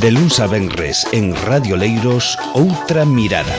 De luns a venres en Radio Leiros, Outra Mirada.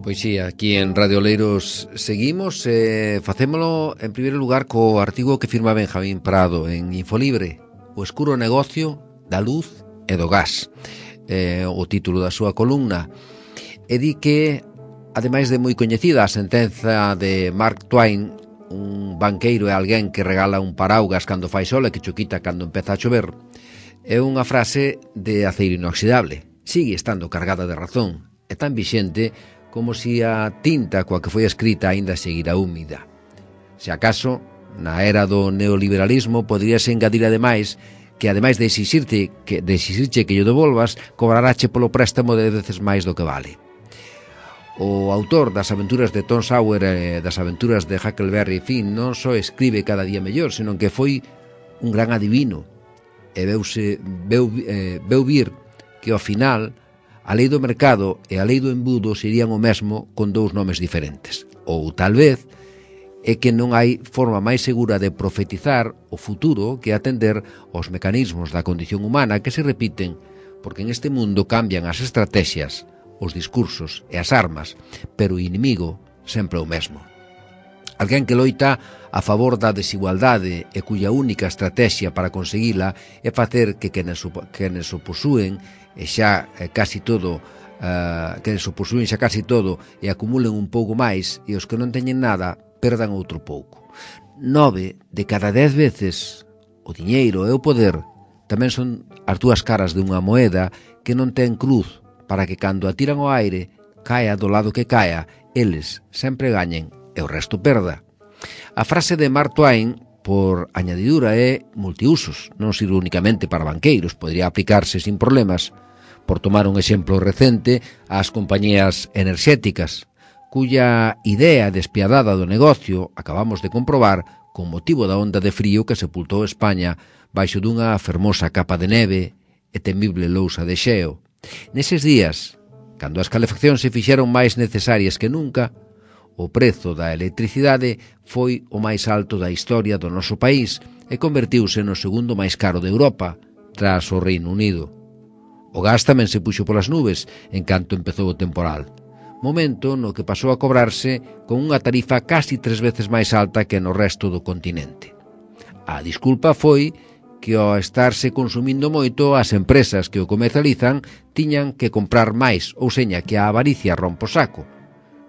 Pois sí, aquí en Radio Leiros seguimos, facémolo en primeiro lugar co artigo que firma Benjamín Prado en Infolibre, O escuro negocio da luz e do gas, o título da súa columna, e di que, ademais de moi coñecida a sentenza de Mark Twain, un banqueiro e alguén que regala un paraugas cando fai sol e que cho quita cando empeza a chover, é unha frase de aceiro inoxidable, sigue estando cargada de razón, é tan vixente como si a tinta coa que foi escrita aínda seguira húmida. Se acaso, na era do neoliberalismo, poderíase engadir ademais que, ademais de exixirche que lle devolvas, cobrarache polo préstamo de veces máis do que vale. O autor das aventuras de Tom Sawyer e das aventuras de Huckleberry Finn non só escribe cada día mellor, senón que foi un gran adivino e veu vir que ao final a lei do mercado e a lei do embudo serían o mesmo con dous nomes diferentes. Ou tal vez é que non hai forma máis segura de profetizar o futuro que atender aos mecanismos da condición humana que se repiten, porque en este mundo cambian as estrategias, os discursos e as armas, pero o inimigo sempre é o mesmo. Alguén que loita a favor da desigualdade e cuya única estrategia para conseguila é facer que quenes o posúen e xa casi todo e acumulen un pouco máis, e os que non teñen nada perdan outro pouco. 9 de cada 10 veces o diñeiro e o poder tamén son as dúas caras de unha moeda que non ten cruz, para que cando a tiran ao aire caia do lado que caia, eles sempre gañen e o resto perda. A frase de Mark Twain, por añadidura, é multiusos, non sirve únicamente para banqueiros, podría aplicarse sin problemas, por tomar un exemplo recente, ás compañías enerxéticas, cuya idea despiadada do negocio acabamos de comprobar con motivo da onda de frío que sepultou España baixo dunha fermosa capa de neve e temible lousa de xeo. Neses días, cando as calefaccións se fixeron máis necesarias que nunca, o prezo da electricidade foi o máis alto da historia do noso país e convertiuse no segundo máis caro de Europa, tras o Reino Unido. O gas tamén se puxo polas nubes en canto empezou o temporal, momento no que pasou a cobrarse con unha tarifa casi 3 veces máis alta que no resto do continente. A disculpa foi que ao estarse consumindo moito, as empresas que o comercializan tiñan que comprar máis, ou seña que a avaricia rompe o saco,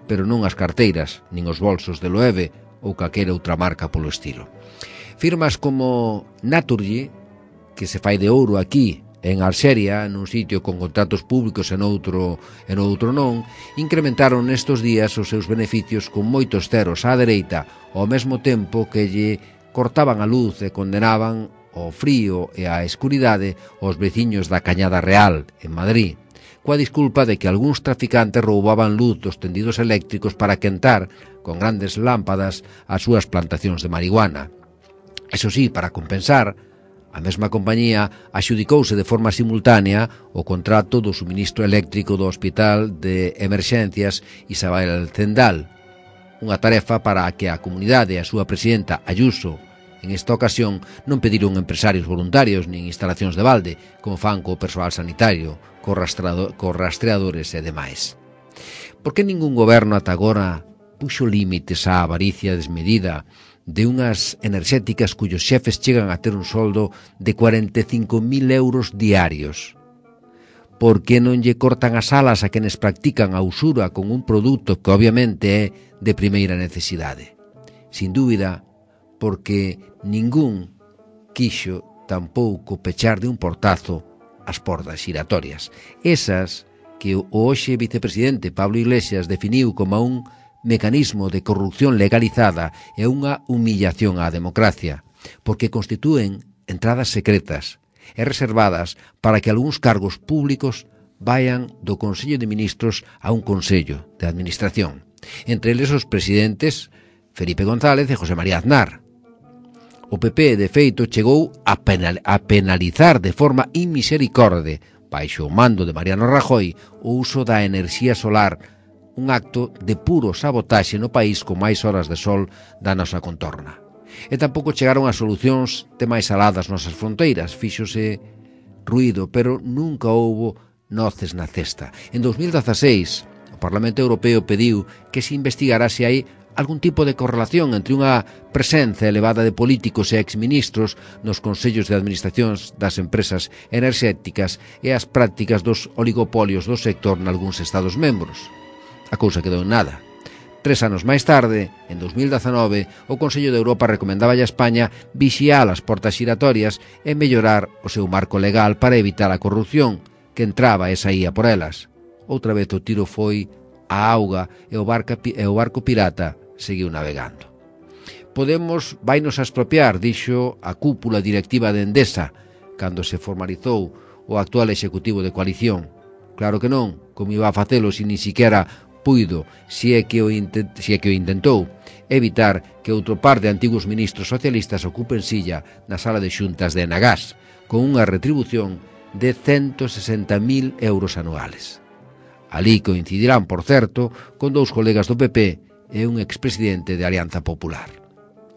pero non as carteiras, nin os bolsos de Loewe ou calquera outra marca polo estilo. Firmas como Naturgy, que se fai de ouro aquí, en Alxeria, nun sitio con contratos públicos e noutro non, incrementaron nestos días os seus beneficios con moitos ceros á dereita, ao mesmo tempo que lle cortaban a luz e condenaban ao frío e á escuridade os veciños da Cañada Real, en Madrid, coa disculpa de que algúns traficantes roubaban luz dos tendidos eléctricos para quentar con grandes lámpadas as súas plantacións de marihuana. Eso sí, para compensar, a mesma compañía axudicouse de forma simultánea o contrato do suministro eléctrico do Hospital de Emerxencias Isabel Zendal, unha tarefa para a que a comunidade e a súa presidenta Ayuso en esta ocasión non pediron empresarios voluntarios nin instalacións de balde, como fan co persoal sanitario, co rastreadores e demais. Por que ningún goberno ata agora puxo límites á avaricia desmedida de unhas enerxéticas cuyos xefes chegan a ter un soldo de 45.000 euros diarios? Por que non lle cortan as alas a quenes practican a usura con un produto que obviamente é de primeira necesidade? Sin dúbida, porque ningún quixo tampouco pechar de un portazo as portas xiratorias, esas que o hoxe vicepresidente Pablo Iglesias definiu como un mecanismo de corrupción legalizada e unha humillación á democracia, porque constitúen entradas secretas e reservadas para que algúns cargos públicos vayan do Consello de Ministros a un Consello de Administración, entre eles os presidentes Felipe González e José María Aznar. O PP, de feito, chegou a penalizar de forma inmisericorde, baixo o mando de Mariano Rajoy, o uso da enerxía solar un acto de puro sabotaxe no país con máis horas de sol da nosa contorna. E tampouco chegaron a solucións de máis aladas nosas fronteiras, fíxose ruído, pero nunca houbo noces na cesta. En 2016, o Parlamento Europeo pediu que se investigara se hai algún tipo de correlación entre unha presenza elevada de políticos e exministros nos consellos de administracións das empresas enerxéticas e as prácticas dos oligopolios do sector nalgúns estados membros. A cousa quedou en nada. 3 anos máis tarde, en 2019, o Consello de Europa recomendaba a España vixiar as portas xiratorias e mellorar o seu marco legal para evitar a corrupción que entraba e saía por elas. Outra vez o tiro foi a auga e o barco pirata seguiu navegando. Podemos vainos a expropiar, dixo a cúpula directiva de Endesa, cando se formalizou o actual executivo de coalición. Claro que non, como iba a facelo se ni siquiera puido, se é que o intentou, evitar que outro par de antigos ministros socialistas ocupen silla na sala de xuntas de Enagás, con unha retribución de 160.000 euros anuales. Alí coincidirán, por certo, con 2 colegas do PP e un expresidente de Alianza Popular.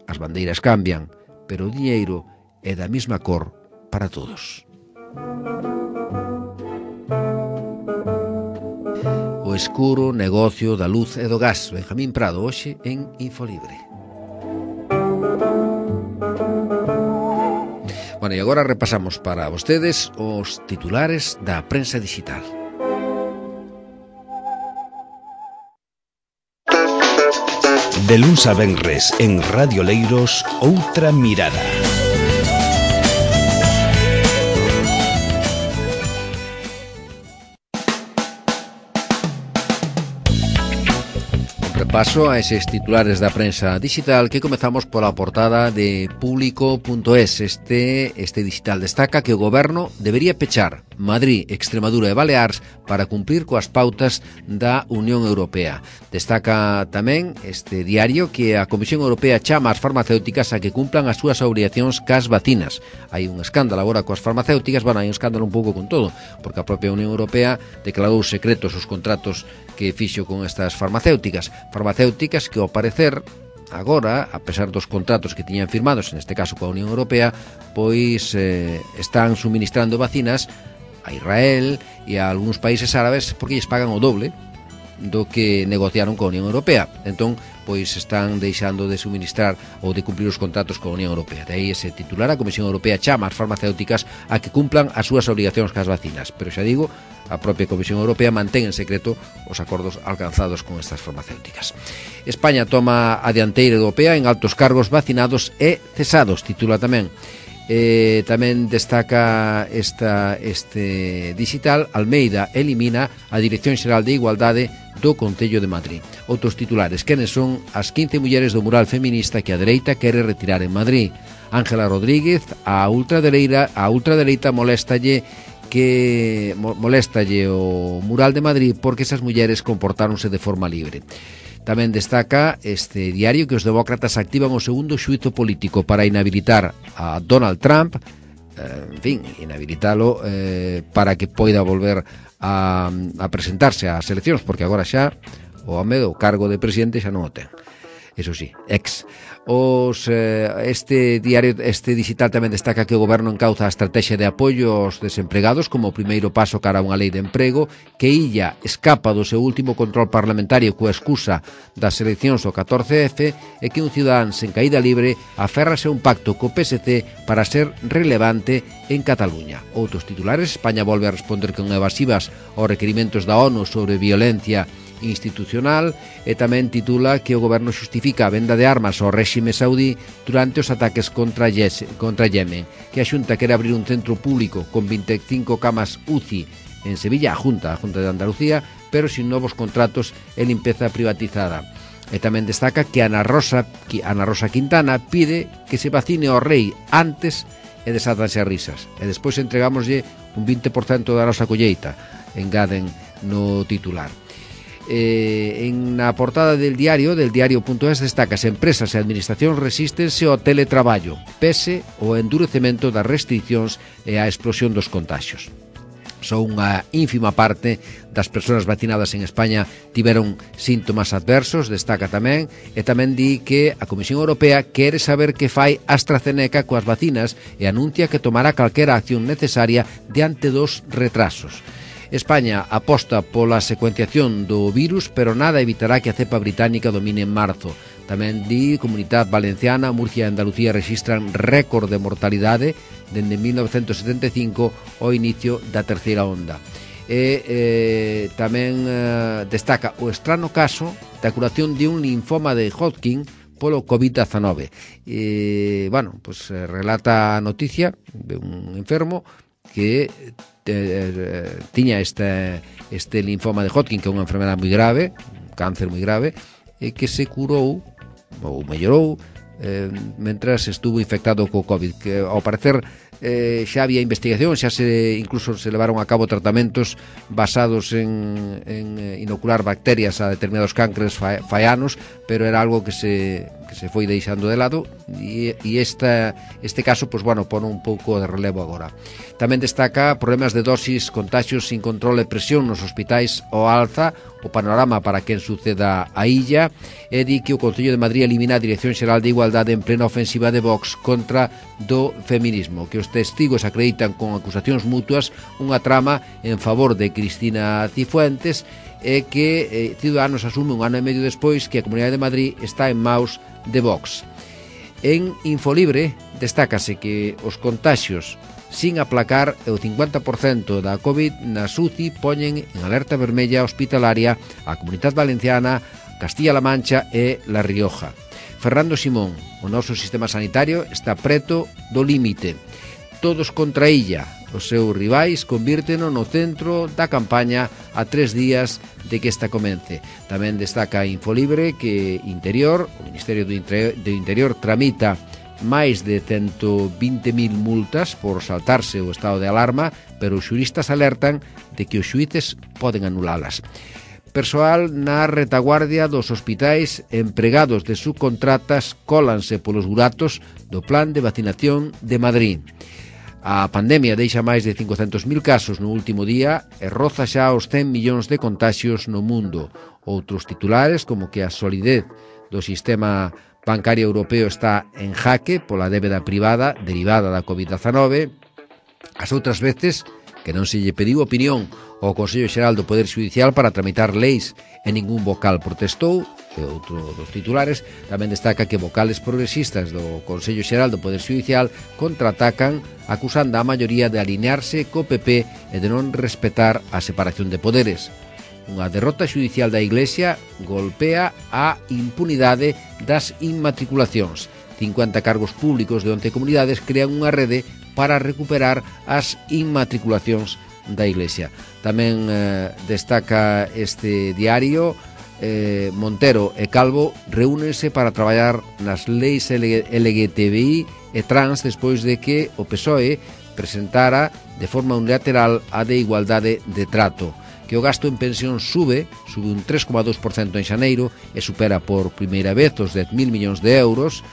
As bandeiras cambian, pero o diñeiro é da mesma cor para todos. O escuro negocio da luz e do gas. Benjamín Prado, hoxe en Infolibre. Bueno, e agora repasamos para vostedes os titulares da prensa digital. De luns a venres en Radio Leiros, Outra Mirada. Repaso a eses titulares da prensa digital que comezamos pola portada de Público.es. Este digital destaca que o goberno debería pechar Madrid, Extremadura e Baleares para cumplir coas pautas da Unión Europea. Destaca tamén este diario que a Comisión Europea chama as farmacéuticas a que cumplan as súas obrigacións cas vacinas. Hai un escándalo agora coas farmacéuticas, hai un escándalo un pouco con todo, porque a propia Unión Europea declarou secretos os contratos que fixo con estas farmacéuticas que ao parecer agora, a pesar dos contratos que tiñan firmados, neste caso coa Unión Europea, pois están suministrando vacinas a Israel e a algúns países árabes porque lles pagan o doble do que negociaron coa Unión Europea. Entón, pois están deixando de suministrar ou de cumplir os contratos coa Unión Europea. De aí ese titular, a Comisión Europea chama as farmacéuticas a que cumplan as súas obrigacións cas vacinas. Pero xa digo, a propia Comisión Europea mantén en secreto os acordos alcanzados con estas farmacéuticas. España toma a dianteira europea en altos cargos vacinados e cesados, titula tamén. Tamén destaca este digital. Almeida elimina a Dirección Xeral de Igualdade do Concello de Madrid. Outros titulares: quenes son as 15 mulleres do mural feminista que a dereita quere retirar en Madrid? Ángela Rodríguez, a ultradereita moléstalle o mural de Madrid porque esas mulleres comportáronse de forma libre. Tamén destaca este diario que os demócratas activan o segundo xuízo político para inhabilitar a Donald Trump, inhabilitalo para que poida volver a presentarse ás eleccións, porque agora xa o home do cargo de presidente xa non o ten. Eso sí, este digital tamén destaca que o goberno encauza a estrategia de apoio aos desempregados como o primeiro paso cara a unha lei de emprego, que Illa escapa do seu último control parlamentario coa excusa das eleccións do 14F e que un cidadán sen caída libre aférrase a un pacto co PSC para ser relevante en Cataluña. Outros titulares: España volve a responder con evasivas aos requerimentos da ONU sobre violencia institucional, e tamén titula que o goberno xustifica a venda de armas ao réxime saudí durante os ataques contra Yemen, que a Xunta quere abrir un centro público con 25 camas UCI en Sevilla, a Junta de Andalucía, pero sin novos contratos e limpeza privatizada. E tamén destaca que Ana Rosa Quintana pide que se vacine ao rei antes e desátanse as risas, e despois entregámoslle un 20% da nosa colleita, engaden no titular. En a portada del diario.es destaca: as empresas e administracións resístense ao teletraballo pese ao endurecemento das restricións e a explosión dos contaxios. Só unha ínfima parte das persoas vacinadas en España tiveron síntomas adversos, destaca tamén, e tamén di que a Comisión Europea quere saber que fai AstraZeneca coas vacinas e anuncia que tomará calquera acción necesaria diante dos retrasos. España aposta pola secuenciación do virus, pero nada evitará que a cepa británica domine en marzo. Tamén di Comunidade Valenciana, Murcia e Andalucía registran récord de mortalidade dende 1975 ao inicio da terceira onda. E tamén destaca o estrano caso da curación de un linfoma de Hodgkin polo COVID-19. Relata a noticia de un enfermo que tiña este linfoma de Hodgkin, que é unha enfermedade moi grave, un cáncer moi grave, e que se curou ou mellorou mentras estuvo infectado co COVID, que ao parecer xa había investigación, incluso se levaron a cabo tratamentos basados en inocular bacterias a determinados cancres fai anos, pero era algo que se foi deixando de lado e este caso pon un pouco de relevo agora. Tamén destaca problemas de dosis, contaxios sin control e presión nos hospitais ao alza, o panorama para quen suceda a illa, e di que o Concello de Madrid elimina a Dirección Xeral de Igualdade en plena ofensiva de Vox contra do feminismo, que os testigos acreditan con acusacións mutuas unha trama en favor de Cristina Cifuentes e que Ciudadanos asume un ano e medio despois que a Comunidade de Madrid está en maus de Vox. En Infolibre destácase que os contaxios sin aplacar e o 50% da COVID na UCI poñen en alerta vermella hospitalaria a Comunidade Valenciana, Castilla-La Mancha e La Rioja. Fernando Simón, o noso sistema sanitario está preto do límite. Todos contra illa. Os seus rivais convírteno no centro da campaña a 3 días de que esta comence. Tamén destaca Infolibre que o Ministerio do Interior tramita máis de 120.000 multas por saltarse o estado de alarma, pero os xuristas alertan de que os xuíces poden anulalas. Persoal na retaguardia dos hospitais, empregados de subcontratas, cólanse polos buratos do plan de vacinación de Madrid. A pandemia deixa máis de 500.000 casos no último día e roza xa os 100 millóns de contaxios no mundo. Outros titulares, como que a solidez do sistema bancario europeo está en jaque pola débeda privada derivada da COVID-19. As outras veces que non se lle pediu opinión ao Consello Xeral do Poder Xudicial para tramitar leis e ningún vocal protestou. E outro dos titulares tamén destaca que vocales progresistas do Consello Xeral do Poder Xudicial contraatacan acusando a maioría de alinearse co PP e de non respetar a separación de poderes. Unha derrota xudicial da Iglesia golpea a impunidade das inmatriculacións. 50 cargos públicos de 11 comunidades crean unha rede para recuperar as inmatriculacións da Iglesia. Tamén destaca este diario Montero e Calvo reúnense para traballar nas leis LGTBI e trans despois de que o PSOE presentara de forma unilateral a de igualdade de trato. Que o gasto en pensión sube un 3,2% en xaneiro e supera por primeira vez os 10.000 millóns de euros,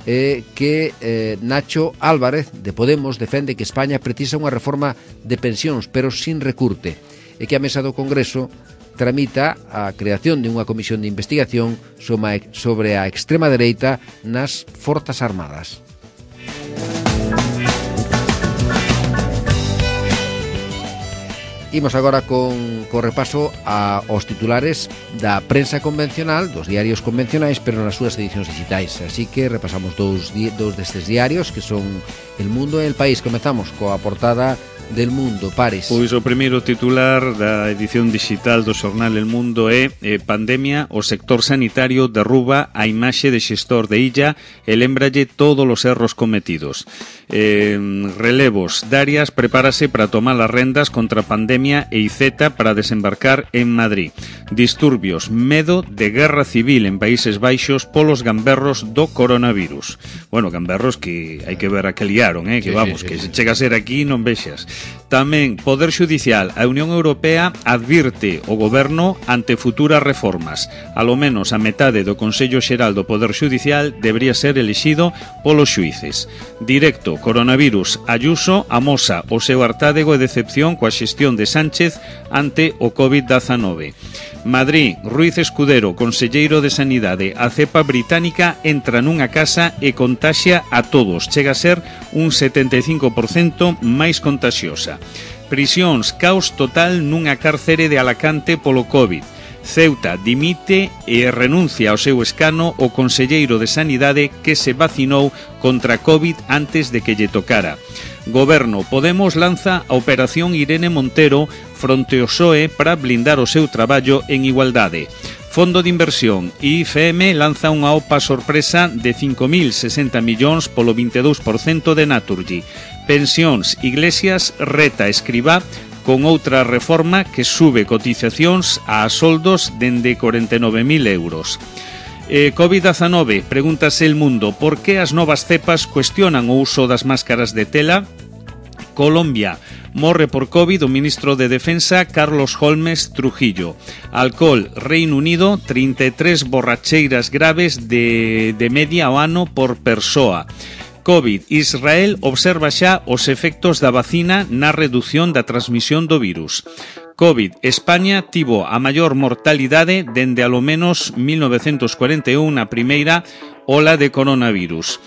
que Nacho Álvarez de Podemos defende que España precisa unha reforma de pensións, pero sin recurte, e que a mesa do Congreso tramita a creación de unha comisión de investigación sobre a extrema dereita nas Forzas Armadas. Imos agora con repaso aos titulares da prensa convencional, dos diarios convencionais, pero nas súas edicións digitais. Así que repasamos dous destes diarios, que son El Mundo e El País. Comezamos coa portada del Mundo, Pares. Pois o primeiro titular da edición digital do xornal El Mundo é pandemia, o sector sanitario derruba a imaxe de xestor de Illa e lembralle todos os erros cometidos. Relevos, Darias prepárase para tomar as rendas contra a pandemia pandemia e Iceta para desembarcar en Madrid. Disturbios, medo de guerra civil en Países Baixos polos gamberros do coronavirus. Bueno, gamberros que hai que ver a que liaron, que vamos, que se chega a ser aquí non vexas. Tamén, Poder Xudicial, a Unión Europea advirte o goberno ante futuras reformas. A lo menos a metade do Consello Xeral do Poder Xudicial debería ser elixido polos xuíces. Directo, coronavirus, Ayuso amosa o seu hartádego e decepción coa xestión de Sánchez ante o COVID-19. Madrid, Ruiz Escudero, conselleiro de Sanidade, a cepa británica entra nunha casa e contaxia a todos. Chega a ser un 75% máis contaxiosa. Prisións, caos total nunha cárcere de Alacante polo COVID. Ceuta dimite e renuncia ao seu escano o conselleiro de Sanidade que se vacinou contra COVID antes de que lle tocara. Goberno, Podemos lanza a Operación Irene Montero fronte ao PSOE para blindar o seu traballo en igualdade. Fondo de Inversión, IFM lanza unha OPA sorpresa de 5.060 millóns polo 22% de Naturgy. Pensións, Iglesias reta Escribá con outra reforma que sube cotizacións a soldos dende 49.000 euros. COVID-19, pregúntase El Mundo, por que as novas cepas cuestionan o uso das máscaras de tela? Colombia, morre por COVID o ministro de Defensa Carlos Holmes Trujillo. Alcohol, Reino Unido, 33 borracheiras graves de media ao ano por persoa. COVID, Israel observa xa os efectos da vacina na redución da transmisión do virus. COVID, España tivo a maior mortalidade dende alo menos 1941 a primeira ola de coronavirus.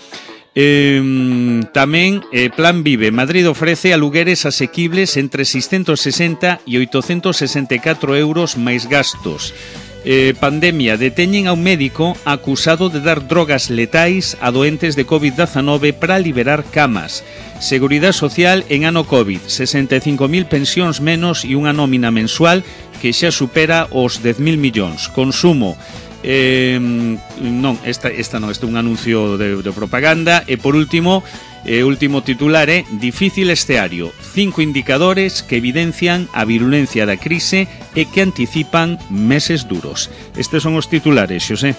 Tamén Plan Vive, Madrid ofrece alugueres asequibles entre 660 e 864 euros máis gastos. Pandemia, deteñen a un médico acusado de dar drogas letais a doentes de COVID-19 para liberar camas. Seguridade Social en ano COVID, 65.000 pensións menos e unha nómina mensual que xa supera os 10.000 millóns. Consumo, non, esta non, este é un anuncio de propaganda. E por último, último titular é difícil esteario, 5 indicadores que evidencian a virulencia da crise e que anticipan meses duros. Estes son os titulares, Xosé.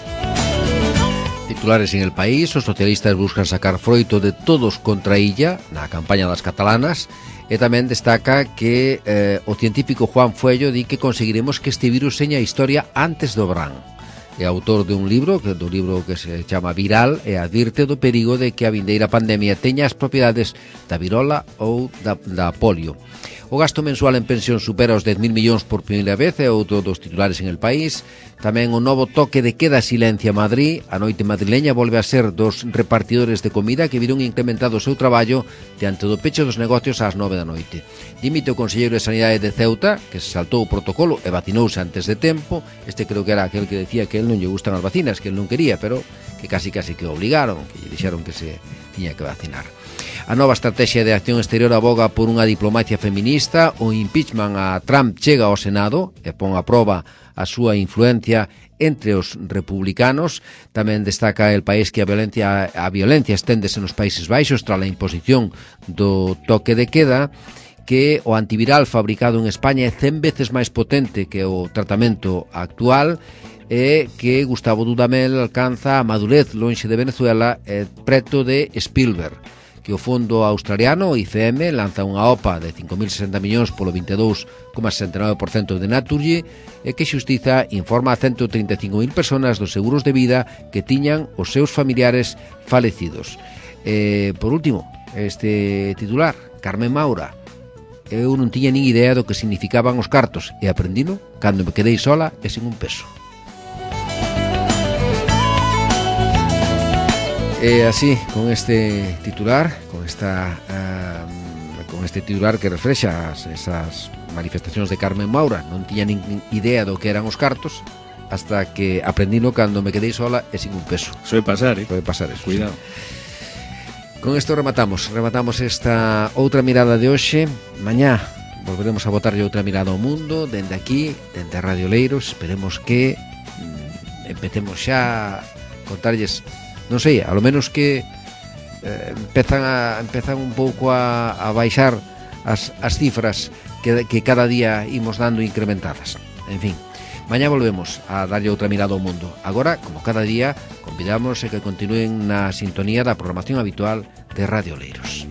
Titulares en El País, os socialistas buscan sacar froito de todos contra Illa na campaña das catalanas, e tamén destaca que o científico Juan Fuello di que conseguiremos que este virus seña a historia antes do verán. É autor de un libro que se chama Viral e advirte do perigo de que a vindeira pandemia teña as propiedades da virola ou da polio. O gasto mensual en pensión supera os 10.000 millóns por primeira vez, é outro dos titulares en El País. Tamén o novo toque de queda silencia Madrid. A noite madrileña volve a ser dos repartidores de comida que viron incrementado o seu traballo diante do peche dos negocios ás 9 da noite. Dimite o conselleiro de Sanidade de Ceuta, que se saltou o protocolo e vacinouse antes de tempo. Este creo que era aquel que decía que él non lle gustan as vacinas, que él non quería, pero que casi que obligaron, que lle dixeron que se tiña que vacinar. A nova estrategia de acción exterior aboga por unha diplomacia feminista. O impeachment a Trump chega ao Senado e pon a proba a súa influencia entre os republicanos. Tamén destaca El País que a violencia esténdese nos Países Baixos tras a imposición do toque de queda, que o antiviral fabricado en España é 100 veces máis potente que o tratamento actual, e que Gustavo Dudamel alcanza a madurez lonxe de Venezuela e preto de Spielberg. Que o fondo australiano, IFM, lanza unha OPA de 5.060 millóns polo 22,69% de Naturgy, e que Xustiza informa a 135.000 personas dos seguros de vida que tiñan os seus familiares falecidos. Por último, este titular, Carmen Maura. Eu non tiña nin idea do que significaban os cartos, e aprendino cando me quedei sola e sin un peso. E así, con este titular, con este titular que reflexa esas manifestacións de Carmen Maura, non tiña nin idea do que eran os cartos, hasta que aprendino cando me quedei sola e sin un peso. Soe pasar, Soe pasar eso. Cuidado. Sí. Con isto rematamos esta outra mirada de hoxe. Mañá volveremos a botarlle outra mirada ao mundo, dende aquí, dende Radio Leiros. Esperemos que empecemos xa a contarlles, non sei, a lo menos que empezan un pouco a baixar as cifras que cada día imos dando incrementadas. En fin, mañá volvemos a darlle outra mirada ao mundo. Agora, como cada día, convidamos a que continúen na sintonía da programación habitual de Radio Oleiros.